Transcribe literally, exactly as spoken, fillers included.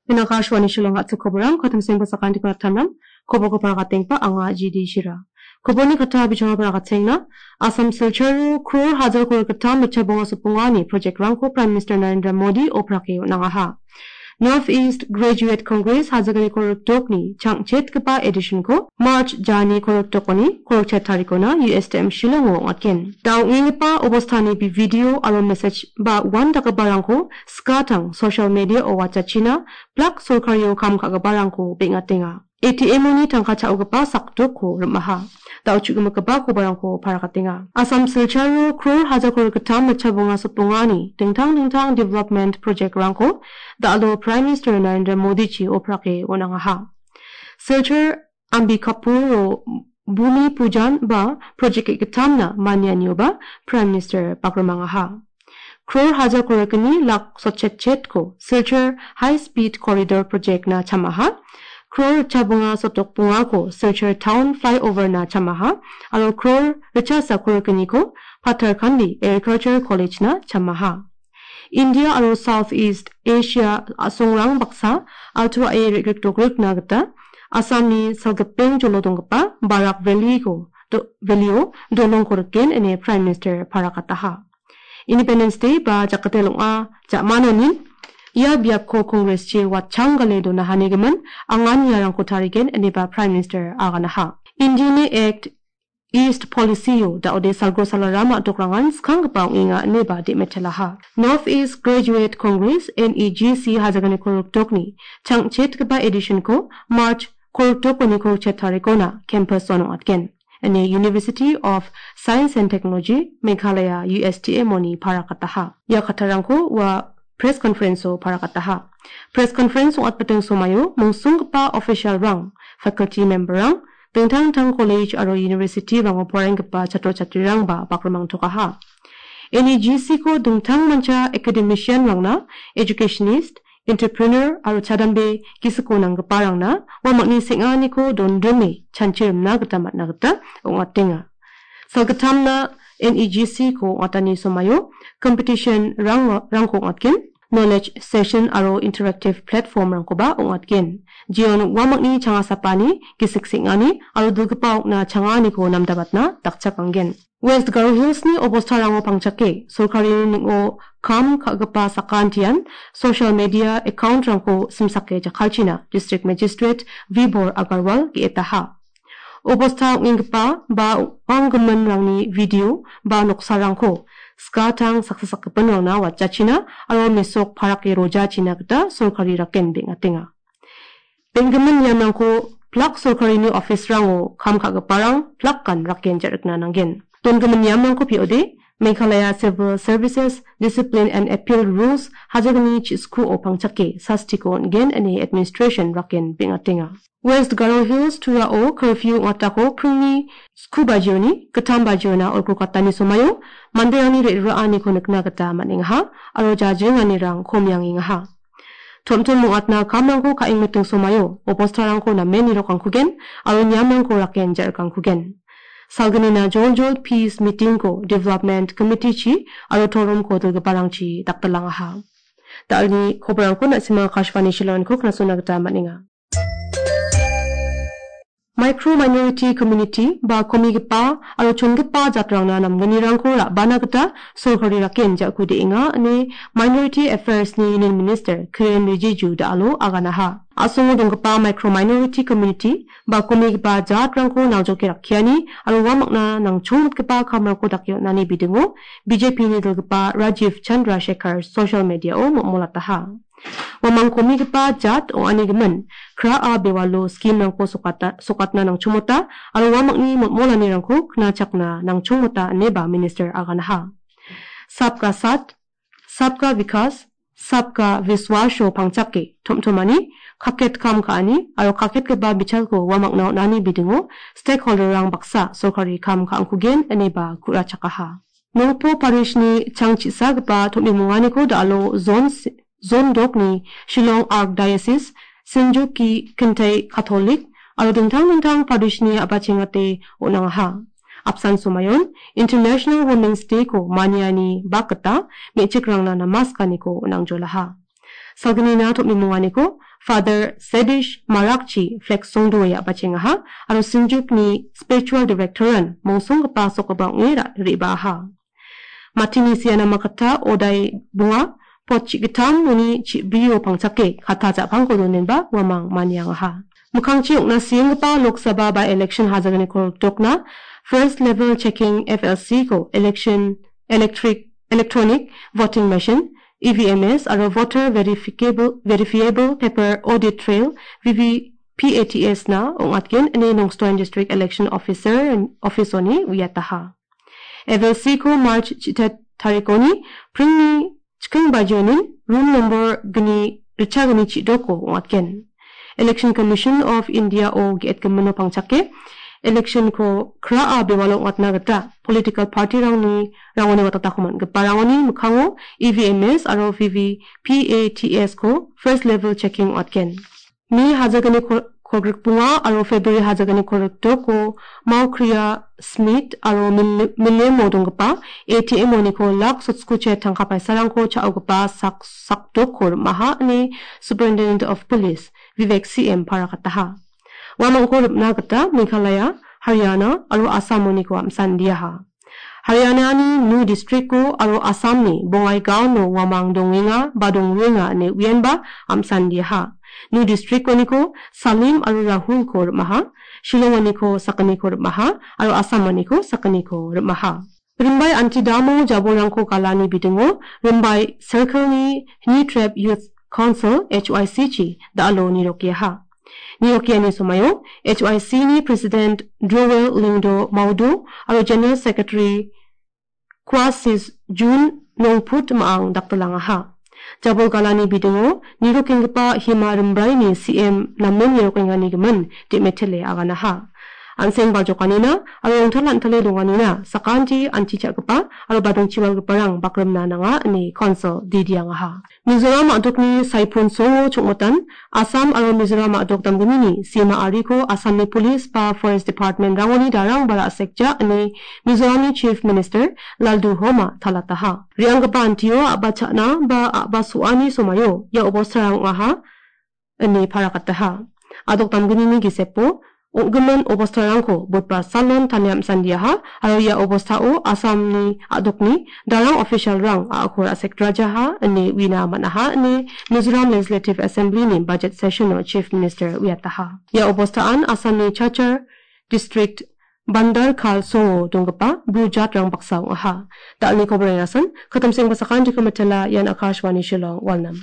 Ian Akashvani Shillong a·chik koborang, kattang sengpa sakantikon attamram, koborko paragatengipa anga G D Shira. Koborni katta bijongaba paragatenga, Assam Silcharo crore hajar crore gittam mitcha bonga sopongani project-rangko Prime Minister Narendra Modi oprake on·angaha. North East Graduate Congress hajalgni kolgrikdokni changchetgipa edition-ko March jani kolgrikdokoni kolgrikchet tarikona U S T M Shillongo ong·atgen. Da ong·enggipa obostani bi-, video aro message ba uandakgiparangko skatang social media-o watchachina, plak sorkario kam ka·giparangko beng·atenga. A T M-oni tangka cha·ogipa sakdokko rim·aha. Da·o chu·gimikgipa kobarangko parakatenga. Assam Silcharo crore hajar crore gittam mitcha bonga sopongani dingtang dingtang development project-rangko da·alo Prime Minister Narendra Modi-chi oprake on·angaha. Silchar Ambikapuro Bhumi Pujan ba project ge·gittamna manianioba Prime Minister bakrimangaha. Crore hajar crore gni lak sotchetchetko Silchar High Speed Corridor Project-na chamaha. Crore richa bonga sotok bongako Silchar Town Flyover-na chamaha. Aro crore richa sa crore gniko Patharkhandi Agriculture College-na chamaha. India aro South East Asia a·songrang baksa altuae re·grikdogrikna gita Assamni salgipeng jolo donggipa Barak Valley-ko do-, Valley-o dolongko riken ine Prime Minister parakataha. Independence Day ba jakate long·a ja·manonin ia biapko Congress-chi watchanggale donahanigimin anganiarangko tarigen ineba Prime Minister aganaha. Indiani Act East Policy-o da·ode salgro salarama dokranggan skanggipa ong·enga ineba de·metelaha. North East Graduate Congress, N E G C, hajalgni kolgrikdokni changchetgipa edition-ko March kolgrikdokoni kolgrikchet tarikona campus-o ong·atgen. Ine University of Science and Technology, Meghalaya, U S T M-oni parakataha. Ia kattarangko ua press conference-o parakataha. Press conference ong·atbiting somaio mungsonggipa official-rang, faculty member-rang, dingtang dingtang college aro university-rango poraienggipa chatro chatrirangba bakrimangtokaha. N E G C-ko dingtang mancha academician-rangna, educationist, entrepreneur aro chadambe gisiko nanggiparangna uamangni seng·aniko dondrime chanchirimna gita man·a gita ong·atenga. Salgittamna N E G C-ko ong·atani somaio competition-rang-, rangko ong·atgen, knowledge session aro interactive platform-rangkoba ong·atgen. Jeon uamangni changasapani, gisik seng·ani aro dilgipa okna changaniko namdabatna dakchakanggen. West Garo Hills-ni obostarango pangchake sorkarini ning·o kam ka·gipa sakantian social media account-rangko simsake jakkalchina District Magistrate Vibhor Agarwal ge·etaha. Obosta ong·enggipa ba uanggiminrangni video ba noksarangko skatang saksa sakgipinrangna watjachina aro mesok parake rojachina gita sorkari raken beng·atenga. Benggimin niamrangko plak sorkarini office-rango kam ka·giparang plakan raken ja·rikna nanggen. Dongimin niamrangko pi·ode, Meghalaya Civil Services Discipline and Appeal Rules hajalgni chiskuo pangchake sastiko on·gen ine administration raken beng·atenga. West Garo Hills Turao curfew ong·atako pringni sku bajioni gittam bajiona olgrokatani somaio manderangni re·ruraaniko nikna gita man·engaha aro jajringanirang komiangengaha. Tom-tom ong·atna kamrangko ka·engmiting somaio obostarangko namen nirokangkugen aro niamrangko raken ja·rikangkugen. Salgnina joljol peace meeting-ko development committee-chi aro toromko dilgiparangchi dakdalangaha. Da·alni koborangko na·sima Akashvani Shillong-ko knasona gita man·enga. Micro minority community ba komigipa aro chongipa jatrangna namgnirangko ra·bana gita sorkari raken ja·kude·enga ine Minority Affairs-ni Union Minister Kiren Rijiju da·alo aganaha. A·songo donggipa micro minority community ba komigipa jatrangko naljoke rakkiani aro uamangna nangchongmitgipa kamrangko dake on·ani bidingo B J P-ni dilgipa Rajiv Chandrasekhar social media-o mol·molataha. Uamang komigipa jat ong·anigimin, kra·a bewalo scheme-rangko sokata-, sokatna nangchongmota aro uamangni mol·molanirangko knachakna nangchongmota ineba minister aganaha. Sabka Saath, Sabka Vikas, Sabka Vishwas-o pangchake tom·tomani, kaket kam ka·ani aro kaketgipa bichalko uamangna on·ani bidingo stakeholder-rang baksa sorkari kam ka·angkugen ineba ku·rachakaha. Nongpo parishni changchisagipa tom·bimonganiko da·alo zon s-, zon dokni Shillong Archdiocese, Sinjuki Kintai Catholic, aro dingtang dingtang parishni a·bachengate on·angaha. Apsan somayon International Women's Day-ko maniani bak gita me·chikrangna namaskaniko on·angjolaha. Salgnina tom·bimonganiko Father Sebish Marakchi Flex Songdoe a·bachengaha aro Sinjukni Spiritual Director-an mongsonggipa sokgipa ong·e ra-, re·baaha. Matini siana makata odai bonga pot chi·gittam uni chi·brio pangchake kata ja·pangko donenba uamang maniangaha. Mikkangchi ong·na sienggipa Lok Sabha by-election hajalgniko rikdokna first level checking F L C ko election electric, electronic voting machine, E V M S aro voter verificable, verifiable paper audit trail, V V P A T S na ong·atgen ine Nongstoin District Election Officer, office-oni uiataha. F L C ko March chita tarikoni pringni chiking bajionin room nombor gni ritchagni chidoko ong·atgen. Election Commission of India-o ge·etgimino pangchake election-ko kraa bewalo ong·atna gita political party-rangni rangoni watatako man·giparangoni mikkango E V M S aro V V P A T S-ko first level checking ong·atgen. May hajalgni kol-, kolgrikbonga aro February hajalgni kolgrikdoko Maukria Smith aro Mil-, Milemo donggipa A T M-oniko lak sotskuche tangka paisarangko cha·ogipa sak-, sakdokko rim·aha ine Superintendent of Police Vivek C M parakataha. Uamangko rim·na gita Meghalaya, Haryana aro Assam-oniko am·sandiaha. Haryanani Nuh district-o aro Assamni Bongaigaon-o uamang dongenga ba dongrenga ine uienba am·sandiaha. Nuh district-oniko Salim aro Rahul-ko rim·aha, Shillong-oniko sakgniko rim·aha aro Assam-oniko sakgniko rim·aha. Rimbai anti damo jabolrangko galani bidingo Rimbai Circle-ni Hni Trep Youth Council, H Y C-chi da·alo nirokiaha. Nirokiani somaio H Y C-ni President Joel Lingdo Maudo aro General Secretary Kwasis Jun Nongput ma·ang daktilangaha. Jabol galani bidingo nirokenggipa Hima Rimbraini C M namen nirokengani gimin de·metele aganaha. An·seng baljokanina aro rongtal an·tale donganina sakanti anti cha·gipa aro badingchiwalgiparang bakrimna nanga ine Council didiangaha. Mizoram a·dokni saipun songo chongmotan Assam aro Mizoram a·dok damgnini sima ariko Assamni Police ba Forest Department-rangoni darang ba ra·sekja ine Mizoramni Chief Minister Lalduhoma talataha. Re·anggipa antio a·ba cha·na ba a·ba so·ani somaio ia obostarang ong·aha ine parakataha. A·dok damgnini gisepo ong·gimin obostarangko Budbar salon tania am·sandiaha aro ia obostao Assamni a·dokni darang official-rang a·ako ra·sek drajaha ine uina man·aha ine Mizoram Legislative Assembly-ni budget session-o Chief Minister uiataha. Ia obostaan Assamni Cachar District Bandar Khal songo donggipa bru jatrang baksa ong·aha. Da·alni koborang iasan, katamseng basakan dikomitela ian Akashvani Shillong, Walnam.